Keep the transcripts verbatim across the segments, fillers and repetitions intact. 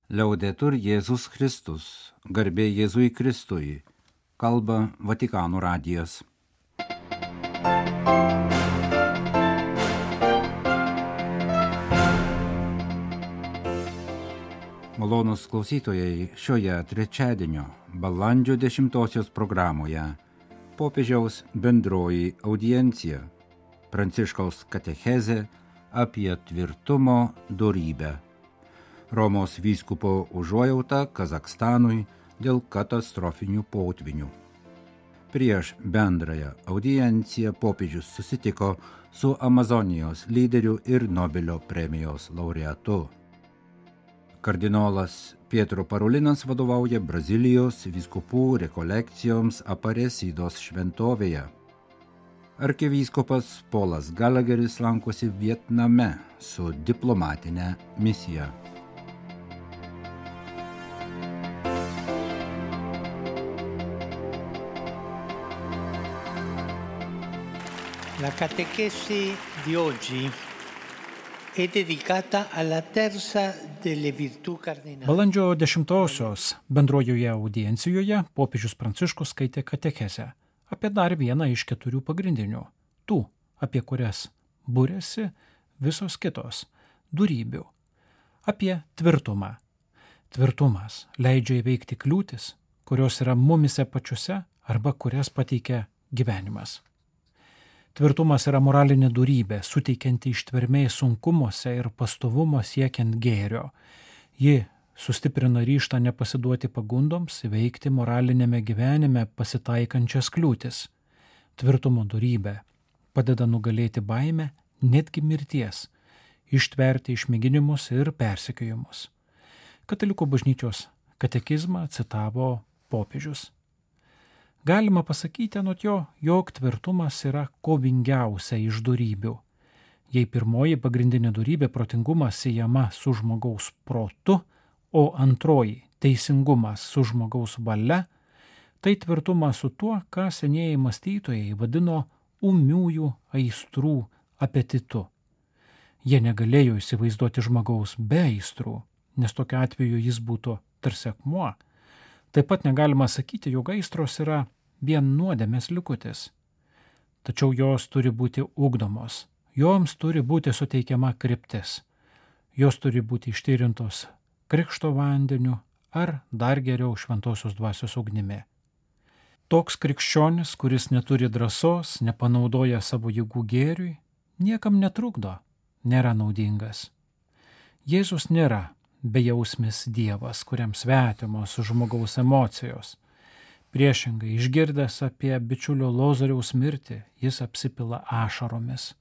Liaudetur Jėzus Kristus, garbė Jėzui Kristui, kalba Vatikano radijas. Malonūs klausytojai, šioje trečiadienio balandžio dešimtosios programoje popiežiaus bendroji audiencija, Pranciškaus katechezė apie tvirtumo dorybę. Romos vyskupo užuojauta Kazachstanui dėl katastrofinių potvinių. Prieš bendrąją audienciją popiežius susitiko su Amazonijos lyderiu ir Nobelio premijos laureatu. Kardinolas Pietro Parolinas vadovauja Brazilijos vyskupų rekolekcijoms Aparecidos šventovėje. Arkivyskupas Polas Galageris lankosi Vietname su diplomatine misija. La catechesi di oggi è dedicata alla terza delle virtù cardinali. Balandžio dešimtosios bendrojoje audiencijoje popiežius Pranciškus skaitė katechezę apie dar vieną iš keturių pagrindinių, tų, apie kurias būrėsi visos kitos, dorybių, apie tvirtumą. Tvirtumas leidžia įveikti kliūtis, kurios yra mumise pačiuose arba kurias pateikia gyvenimas. Tvirtumas yra moralinė dorybė, suteikianti ištvermės sunkumuose ir pastovumo siekiant gėrio. Ji sustiprina ryžtą nepasiduoti pagundoms, įveikti moralinėme gyvenime pasitaikančias kliūtis. Tvirtumo dorybė padeda nugalėti baimę, netgi mirties, ištverti išmėginimus ir persekiojimus. Katalikų bažnyčios katekizmą citavo popiežius. Galima pasakyti anot jo, jog tvirtumas yra kovingiausia iš dorybių. Jei pirmoji pagrindinė dorybė protingumas siejama su žmogaus protu, o antroji teisingumas su žmogaus valia, tai tvirtumas su tuo, ką senieji mąstytojai vadino ūmiųjų aistrų apetitu. Jie negalėjo įsivaizduoti žmogaus be aistrų, nes tokiu atveju jis būtų tarsi akmuo. Taip pat negalima sakyti, jog aistros yra vien nuodėmės likutis. Tačiau jos turi būti ugdomos, joms turi būti suteikiama kryptis, jos turi būti ištyrintos krikšto vandeniu ar dar geriau šventosios dvasios ugnimi. Toks krikščionis, kuris neturi drąsos, nepanaudoja savo jėgų gėriui, niekam netrukdo, nėra naudingas. Jėzus nėra bejausmis Dievas, kuriam svetimos žmogaus emocijos. Priešingai, išgirdęs apie bičiulio Lozoriaus mirtį, jis apsipila ašaromis.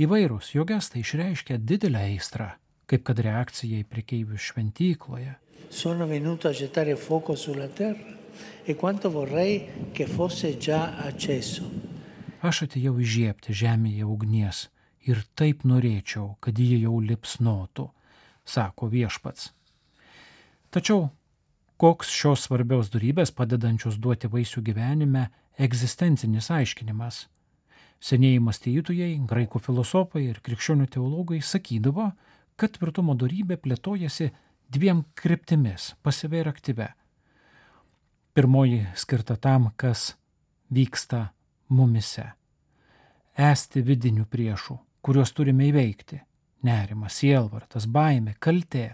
Įvairūs jo gestai išreiškia didelę aistrą, kaip kad reakcija į prekeivių šventykloje. Sono venuto a gettare fuoco sulla terra e quanto vorrei che fosse già acceso. Aš atėjau įžiebti žemėje ugnies ir taip norėčiau, kad ji jau lipsnotų, sako viešpats. Tačiau koks šios svarbios dorybės padedančios duoti vaisių gyvenime egzistencinis aiškinimas? Senieji mąstytojai, graikų filosofai ir krikščionių teologai sakydavo, kad tvirtumo dorybė plėtojasi dviem kryptimis, pasyvia ir aktyvia. Pirmoji skirta tam, kas vyksta mumise. Esti vidinių priešų, kuriuos turime įveikti. Nerimas, sielvartas, baimė, kaltė.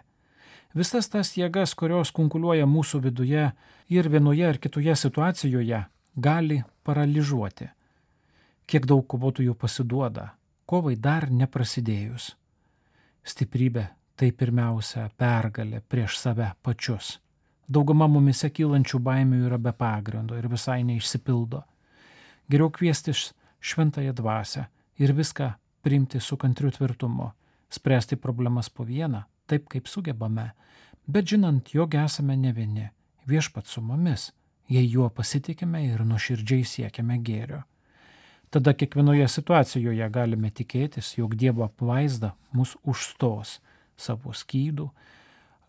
Visas tas jėgas, kurios kunkuliuoja mūsų viduje ir vienoje ar kitoje situacijoje, gali paralyžuoti. Kiek daug kovotojų pasiduoda, kovai dar neprasidėjus. Stiprybė tai pirmiausia pergalė prieš save pačius. Dauguma mumise kylančių baimių yra be pagrindo ir visai neišsipildo. Geriau kviestis šventąją dvasią ir viską priimti su kantriu tvirtumu, spręsti problemas po vieną, taip kaip sugebame, bet žinant, jog esame ne vieni, viešpats su mumis, jei juo pasitikime ir nuoširdžiai siekiame gėrio. Tada kiekvienoje situacijoje galime tikėtis, jog Dievo apvaizda mus užstos savo skydų,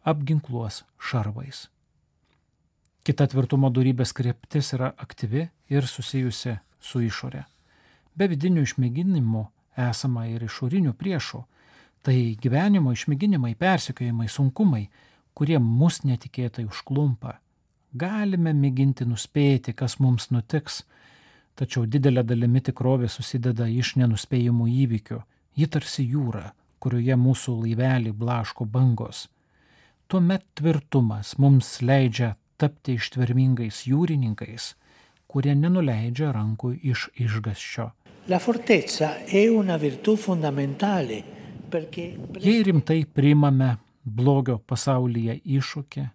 apginkluos šarvais. Kita tvirtumo dorybės kryptis yra aktyvi ir susijusi su išore. Be vidinių išmėginimų esama ir išorinių priešų, tai gyvenimo išmėginimai, persekiojimai, sunkumai, kurie mus netikėtai užklumpa. Galime mėginti nuspėti, kas mums nutiks, tačiau didelė dalimi tikrovė susideda iš nenuspėjimų įvykių. Ji tarsi jūra, kurioje mūsų laivelį blaško bangos. Tuomet tvirtumas mums leidžia tapti ištvermingais jūrininkais, kurie nenuleidžia rankų iš išgąsčio. La fortezza è una virtù fondamentale perché Jei rimtai priimame blogio pasaulyje iššūkį,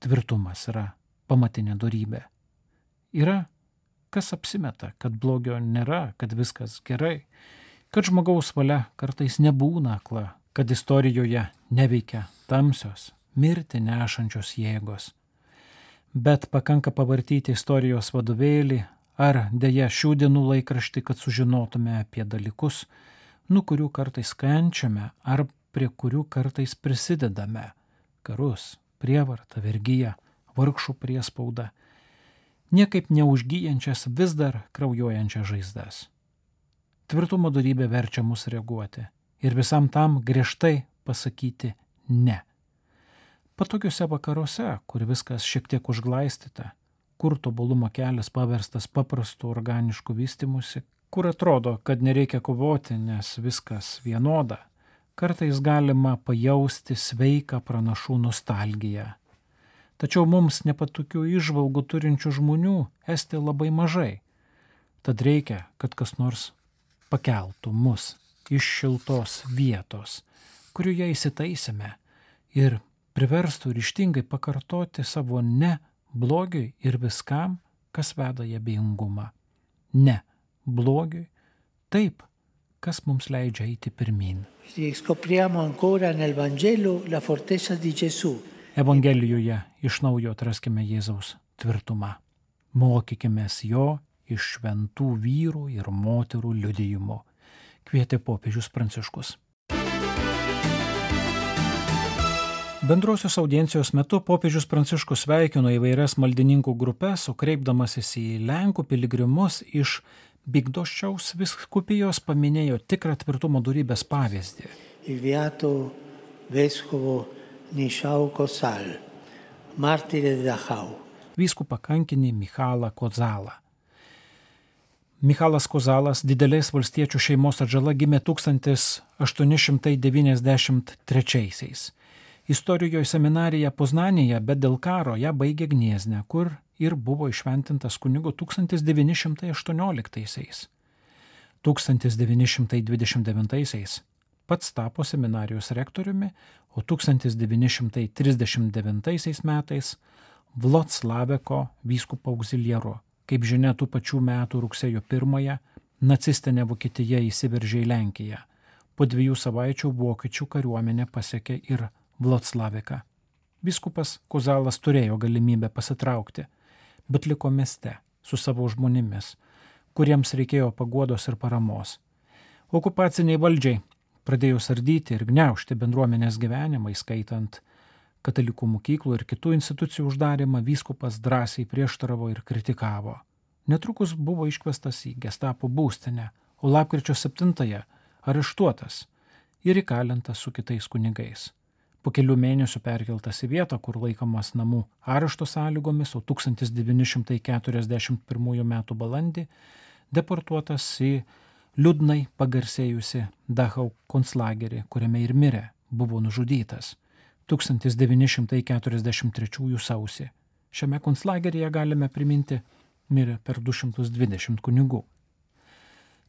tvirtumas yra pamatinė dorybė. Yra, kas apsimeta, kad blogio nėra, kad viskas gerai, kad žmogaus valia kartais nebūna akla, kad istorijoje neveikia tamsios, mirtį nešančios jėgos. Bet pakanka pavartyti istorijos vadovėlį ar dėja šių dienų laikraštį, kad sužinotume apie dalykus, nuo kurių kartais kenčiame ar prie kurių kartais prisidedame. Karus, prievartą, vergiją, vargšų priespaudą, niekaip neužgyjančias vis dar kraujuojančias žaizdas. Tvirtumo dorybė verčia mus reaguoti ir visam tam griežtai pasakyti ne. Patogiuose vakaruose, kur viskas šiek tiek užglaistyta, kur tobulumo kelias paverstas paprastu organišku vystimusi, kur atrodo, kad nereikia kovoti, nes viskas vienoda, kartais galima pajausti sveiką pranašų nostalgiją. Tačiau mums nepatogių įžvalgų turinčių žmonių esti labai mažai. Tad reikia, kad kas nors pakeltų mus iš šiltos vietos, kurioje įsitaisėme ir priverstų ryžtingai pakartoti savo ne blogiui ir viskam, kas veda į abejingumą. Ne blogiui, taip, kas mums leidžia eiti pirmyn. Scopriamo ancora nel Vangelo la fortezza di Gesù. Evangelijoje iš naujo atraskime Jėzaus tvirtumą. Mokykimės jo iš šventų vyrų ir moterų liudijimo, kvietė popiežius Pranciškus. Bendrosios audiencijos metu popiežius Pranciškus sveikino įvairias maldininkų grupes, o kreipdamasis į Lenkų piligrimus iš Bydgoszčiaus vyskupijos paminėjo tikrą tvirtumo dorybės pavyzdį. Il beato vescovo Michał Kozal, martire di Dachau. Vyskupą kankinį Michalą Kozalą. Michalas Kozalas, didelės valstiečių šeimos atžala, gimė tūkstantis aštuoni šimtai devyniasdešimt trečiaisiais. Įstorijoje seminarija Poznanėje, bet dėl karo ją baigė Gniezne, kur ir buvo išventintas kunigu tūkstantis devyni šimtai aštuonioliktaisiais. tūkstantis devyni šimtai dvidešimt devintaisiais pats tapo seminarijos rektoriumi, o tūkstantis devyni šimtai trisdešimt devintaisiais metais Vloclaveko vyskupo augziliaru. Kaip žinia, tų pačių metų rugsėjo pirmąją nacistinė Vokietija įsiveržė į Lenkiją. Po dviejų savaičių vokiečių kariuomenė pasiekė ir Vloclaviką. Vyskupas Kozalas turėjo galimybę pasitraukti, bet liko mieste su savo žmonėmis, kuriems reikėjo paguodos ir paramos. Okupaciniai valdžiai pradėjo sardyti ir gniaužti bendruomenės gyvenimą, įskaitant katalikų mokyklų ir kitų institucijų uždarimą, vyskupas drąsiai prieštaravo ir kritikavo. Netrukus buvo iškvestas į Gestapo būstinę, o lapkričio septintąją areštuotas ir įkalintas su kitais kunigais. Po kelių mėnesių perkeltas į vietą, kur laikomas namų arešto sąlygomis, o tūkstantis devyni šimtai keturiasdešimt pirmųjų metų balandį deportuotas į liūdnai pagarsėjusi Dachau konclagerį, kuriame ir mirė, buvo nužudytas tūkstantis devyni šimtai keturiasdešimt trečiųjų sausį. Šiame konclageryje, galime priminti, mirė per du šimtus dvidešimt kunigų.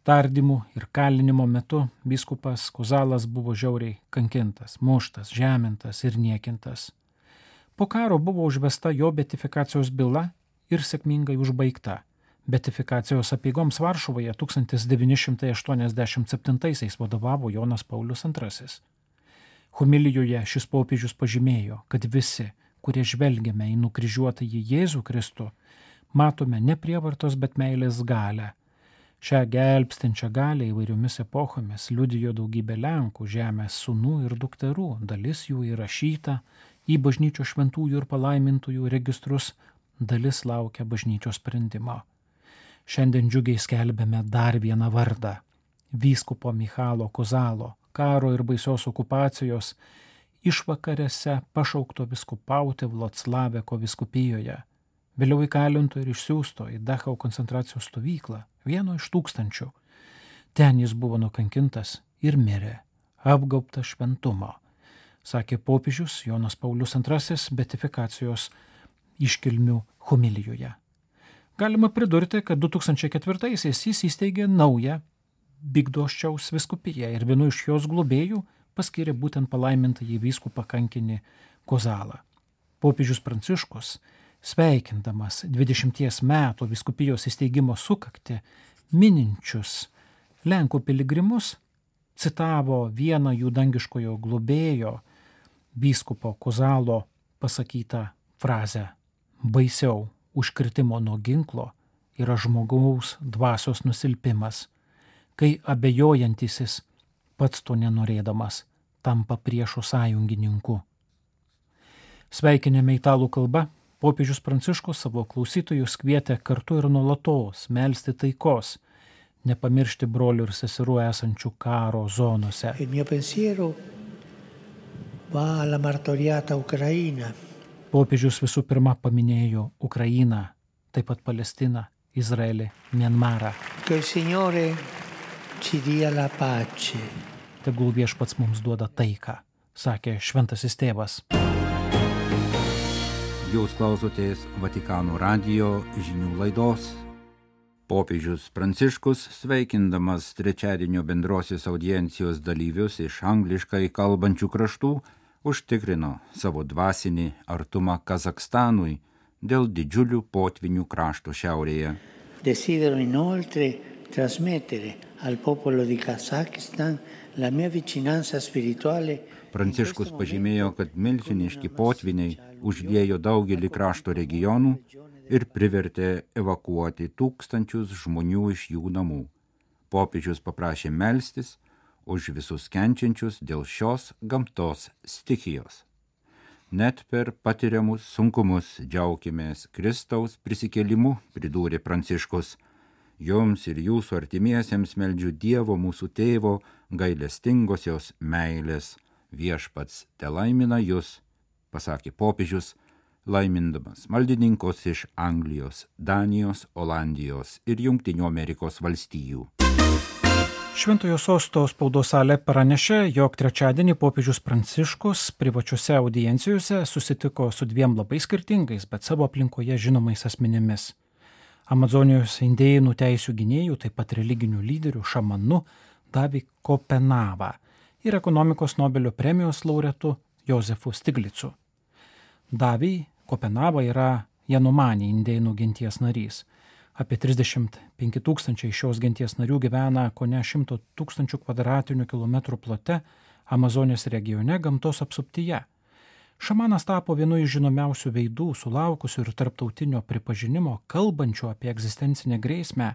Tardymų ir kalinimo metu vyskupas Kozalas buvo žiauriai kankintas, muštas, žemintas ir niekintas. Po karo buvo užvesta jo beatifikacijos byla ir sėkmingai užbaigta. Beatifikacijos apeigoms Varšuvoje tūkstantis devyni šimtai aštuoniasdešimt septintaisiais vadovavo Jonas Paulius antrasis. Homilijoje šis popiežius pažymėjo, kad visi, kurie žvelgiame į nukryžiuotąjį Jėzų Kristų, matome ne prievartos, bet meilės galią. Šią gelbstinčią galią įvairiomis epochomis liudijo daugybė Lenkų, žemės sūnų ir dukterų, dalis jų įrašyta į bažnyčios šventųjų ir palaimintųjų registrus, dalis laukia bažnyčios sprendimo. Šiandien džiugiai skelbėme dar vieną vardą – vyskupo Michalo Kozalo, karo ir baisios okupacijos išvakarėse pašaukto viskupauti Vloclaveko viskupijoje, vėliau įkalinto ir išsiųsto į Dachau koncentracijos stovyklą, vieno iš tūkstančių. Ten jis buvo nukankintas ir mirė, apgaubtas šventumo, sakė popiežius Jonas Paulius antrasis beatifikacijos iškilmių homilijoje. Galima pridurti, kad du tūkstančiai ketvirtaisiais jis įsteigė naują Bydgoszčiaus viskupiją ir vienu iš jos globėjų paskyrė būtent palaimintąjį vyskupą kankinį Kozalą. Popiežius Pranciškus, sveikindamas dvidešimties metų vyskupijos įsteigimo sukaktį mininčius Lenkų piligrimus, citavo vieną jų dangiškojo globėjo, vyskupo Kozalo pasakytą frazę: baisiau užkritimo nuo ginklo yra žmogaus dvasios nusilpimas, kai abejojantisis, pats to nenorėdamas, tampa priešo sąjungininku. Sveikinime italų kalba, popiežius Pranciškus savo klausytojus kvietė kartu ir nuolatos melsti taikos, nepamiršti brolių ir seserų esančių karo zonose. Il mio pensiero va alla martoriata Ucraina. Popiežius visų pirma paminėjo Ukrainą, taip pat Palestiną, Izraelį, Mianmarą. Che il Signore ci dia la pace. Tegul viešpats mums duoda taiką, sakė šventasis tėvas. Jūs klausotės Vatikano radijo žinių laidos. Popiežius Pranciškus, sveikindamas trečiadienio bendrosios audiencijos dalyvius iš angliškai kalbančių kraštų, užtikrino savo dvasinį artumą Kazakstanui dėl didžiulių potvinių krašto šiaurėje. Desidero inoltre trasmettere al popolo di Kazakistan la mia vicinanza spirituale. Pranciškus pažymėjo, kad milžiniški potviniai užliejo daugelį krašto regionų ir privertė evakuoti tūkstančius žmonių iš jų namų. Popiežius paprašė melstis už visus kenčiančius dėl šios gamtos stichijos. Net per patiriamus sunkumus džiaukimės Kristaus prisikėlimu, pridūrė Pranciškus. Jums ir jūsų artimiesiems meldžiu Dievo mūsų tėvo gailestingosios meilės. Viešpats telaimina jūs, pasakė popiežius, laimindamas maldininkus iš Anglijos, Danijos, Olandijos ir Jungtinių Amerikos valstijų. Šventojo sosto spaudos salė pranešė, jog trečiadienį popiežius Pranciškus privačiose audiencijose susitiko su dviem labai skirtingais, bet savo aplinkoje žinomais asmenimis. Amazonijos indėnų teisių gynėjų, taip pat religinių lyderių šamanu Davi Kopenava ir ekonomikos Nobelio premijos laureatu Jozefu Stiglicu. Davi Kopenava yra Janomani indėnų genties narys. Apie trisdešimt penki tūkstančiai šios genties narių gyvena kone šimto tūkstančių kvadratinių kilometrų plote Amazonės regione gamtos apsuptyje. Šamanas tapo vienu iš žinomiausių veidų, sulaukusių ir tarptautinio pripažinimo, kalbančių apie egzistencinę grėsmę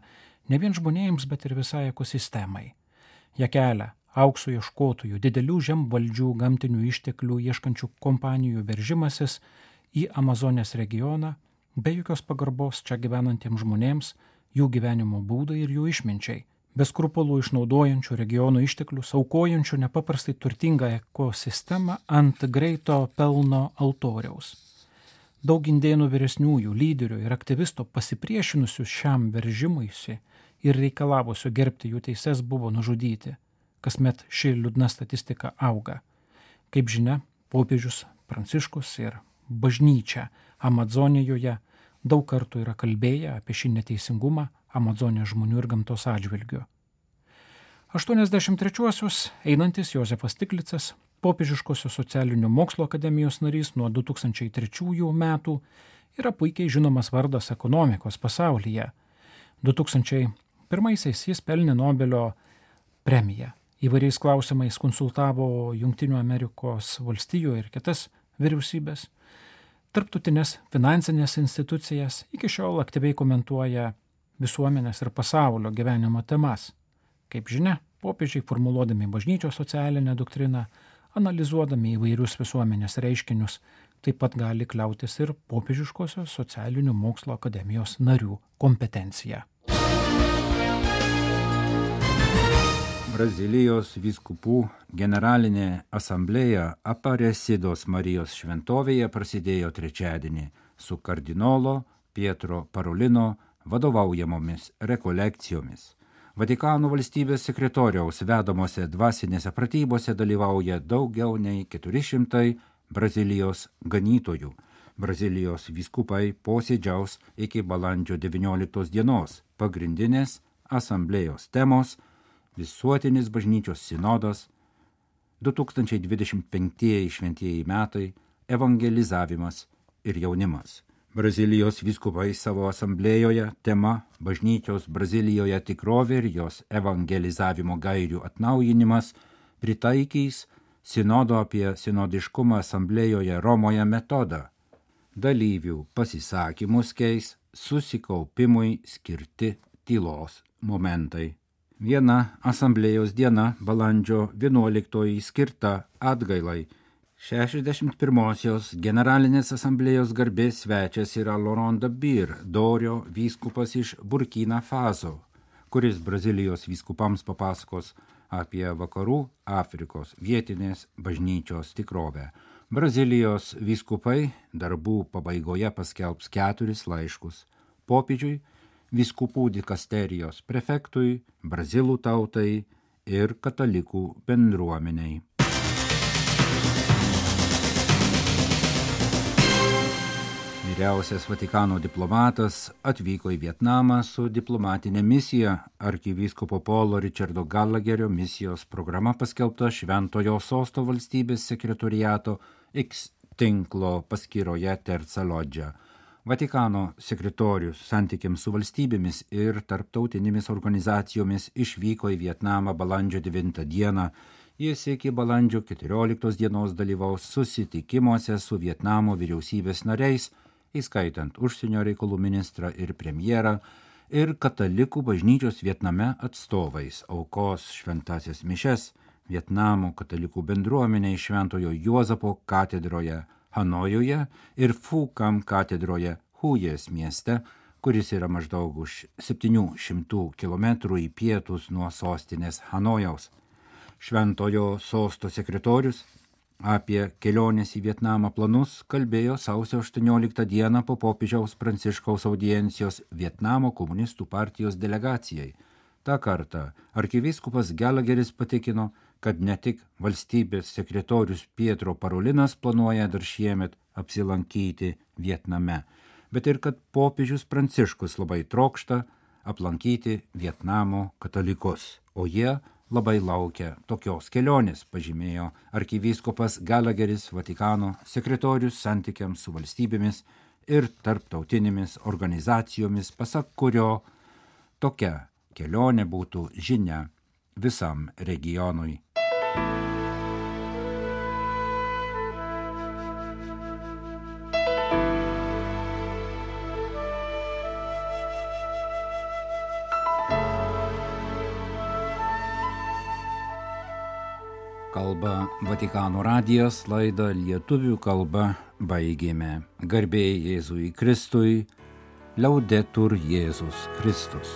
ne vien žmonėms, bet ir visai ekosistemai. Ją kelia aukso ieškotojų, didelių žemvaldžių, gamtinių išteklių ieškančių kompanijų veržimasis į Amazonės regioną, be jokios pagarbos čia gyvenantiems žmonėms, jų gyvenimo būdai ir jų išminčiai, be skrupulų išnaudojančių regionų išteklius, aukojančių nepaprastai turtingą ekosistemą ant greito pelno altoriaus. Daug indėnų vyresniųjų, lyderių ir aktyvistų pasipriešinusių šiam veržimuisi ir reikalavusių gerbti jų teises buvo nužudyti. Kasmet ši liūdna statistika auga. Kaip žinia, popiežius Pranciškus ir bažnyčia Amazonijoje daug kartų yra kalbėję apie šį neteisingumą Amazonijos žmonių ir gamtos atžvilgiu. aštuoniasdešimt trečiuosius einantis Jozefas Stiglicas, popiežiškosios socialinių mokslo akademijos narys nuo du tūkstančiai trečiųjų metų, yra puikiai žinomas vardas ekonomikos pasaulyje. du tūkstančiai pirmaisiais jis pelnė Nobelio premiją. Įvairiais klausimais konsultavo Jungtinių Amerikos valstijų ir kitas vyriausybės. Tarptautinės finansinės institucijas, iki šiol aktyviai komentuoja visuomenės ir pasaulio gyvenimo temas. Kaip žinia, popiežiai formuluodami bažnyčios socialinę doktriną, analizuodami įvairius visuomenės reiškinius, taip pat gali kliautis ir popiežiškosios socialinių mokslo akademijos narių kompetencija. Brazilijos vyskupų generalinė asamblėja Aparecidos Marijos šventovėje prasidėjo trečiadienį su kardinolo Pietro Parolino vadovaujamomis rekolekcijomis. Vatikano valstybės sekretoriaus vedamose dvasinėse pratybose dalyvauja daugiau nei keturi šimtai Brazilijos ganytojų. Brazilijos vyskupai posėdžiaus iki balandžio devynioliktos dienos. Pagrindinės asamblėjos temos – visuotinis bažnyčios sinodas, du tūkstančiai dvidešimt penktieji šventieji metai, evangelizavimas ir jaunimas. Brazilijos vyskupai savo asamblėjoje tema bažnyčios Brazilijoje tikrovė ir jos evangelizavimo gairių atnaujinimas pritaikys sinodo apie sinodiškumą asamblėjoje Romoje metodą. Dalyvių pasisakymus keis susikaupimui skirti tylos momentai. Viena asamblėjos diena balandžio vienuoliktoji skirta atgailai. šešiasdešimt pirmosios generalinės asamblėjos garbės svečias yra Laurent Dabir, Dorio vyskupas iš Burkina Faso, kuris Brazilijos vyskupams papasakos apie vakarų Afrikos vietinės bažnyčios tikrovę. Brazilijos vyskupai darbų pabaigoje paskelbs keturis laiškus popiežiui, vyskupų dikasterijos prefektui, brazilų tautai ir katalikų bendruomeniai. Vyriausias Vatikano diplomatas atvyko į Vietnamą su diplomatinė misija. Arkivyskupo Paulo Richardo Gallagherio misijos programa paskelbta Šventojo Sosto valstybės sekretoriato X tinklo paskyroje Terza Loggia. Vatikano sekretorius santykiams su valstybėmis ir tarptautinėmis organizacijomis išvyko į Vietnamą balandžio devintą dieną. Jis iki balandžio keturioliktos dienos dalyvaus susitikimuose su Vietnamo vyriausybės nariais, įskaitant užsienio reikalų ministrą ir premjerą, ir katalikų bažnyčios Vietname atstovais, aukos šventasias mišes Vietnamo katalikų bendruomeniai Šventojo Juozapo katedroje Hanojuje ir Phu Cam katedroje Hujės mieste, kuris yra maždaug už septynių šimtų kilometrų į pietus nuo sostinės Hanojaus. Šventojo Sosto sekretorius apie kelionės į Vietnamą planus kalbėjo sausio aštuonioliktą dieną po popiežiaus Pranciškaus audiencijos Vietnamo komunistų partijos delegacijai. Ta kartą arkivyskupas Gallagheris patikino, kad ne tik valstybės sekretorius Pietro Parolinas planuoja dar šiemet apsilankyti Vietname, bet ir kad popiežius Pranciškus labai trokšta aplankyti Vietnamo katalikus, o jie labai laukia tokios kelionės, pažymėjo arkivyskupas Gallagheris, Vatikano sekretorius santykiams su valstybėmis ir tarptautinėmis organizacijomis, pasak kurio tokia kelionė būtų žinia visam regionui. Kalba Vatikano radijas, laidą lietuvių kalba baigėme. Garbė Jėzui Kristui, Laudetur Jėzus Kristus.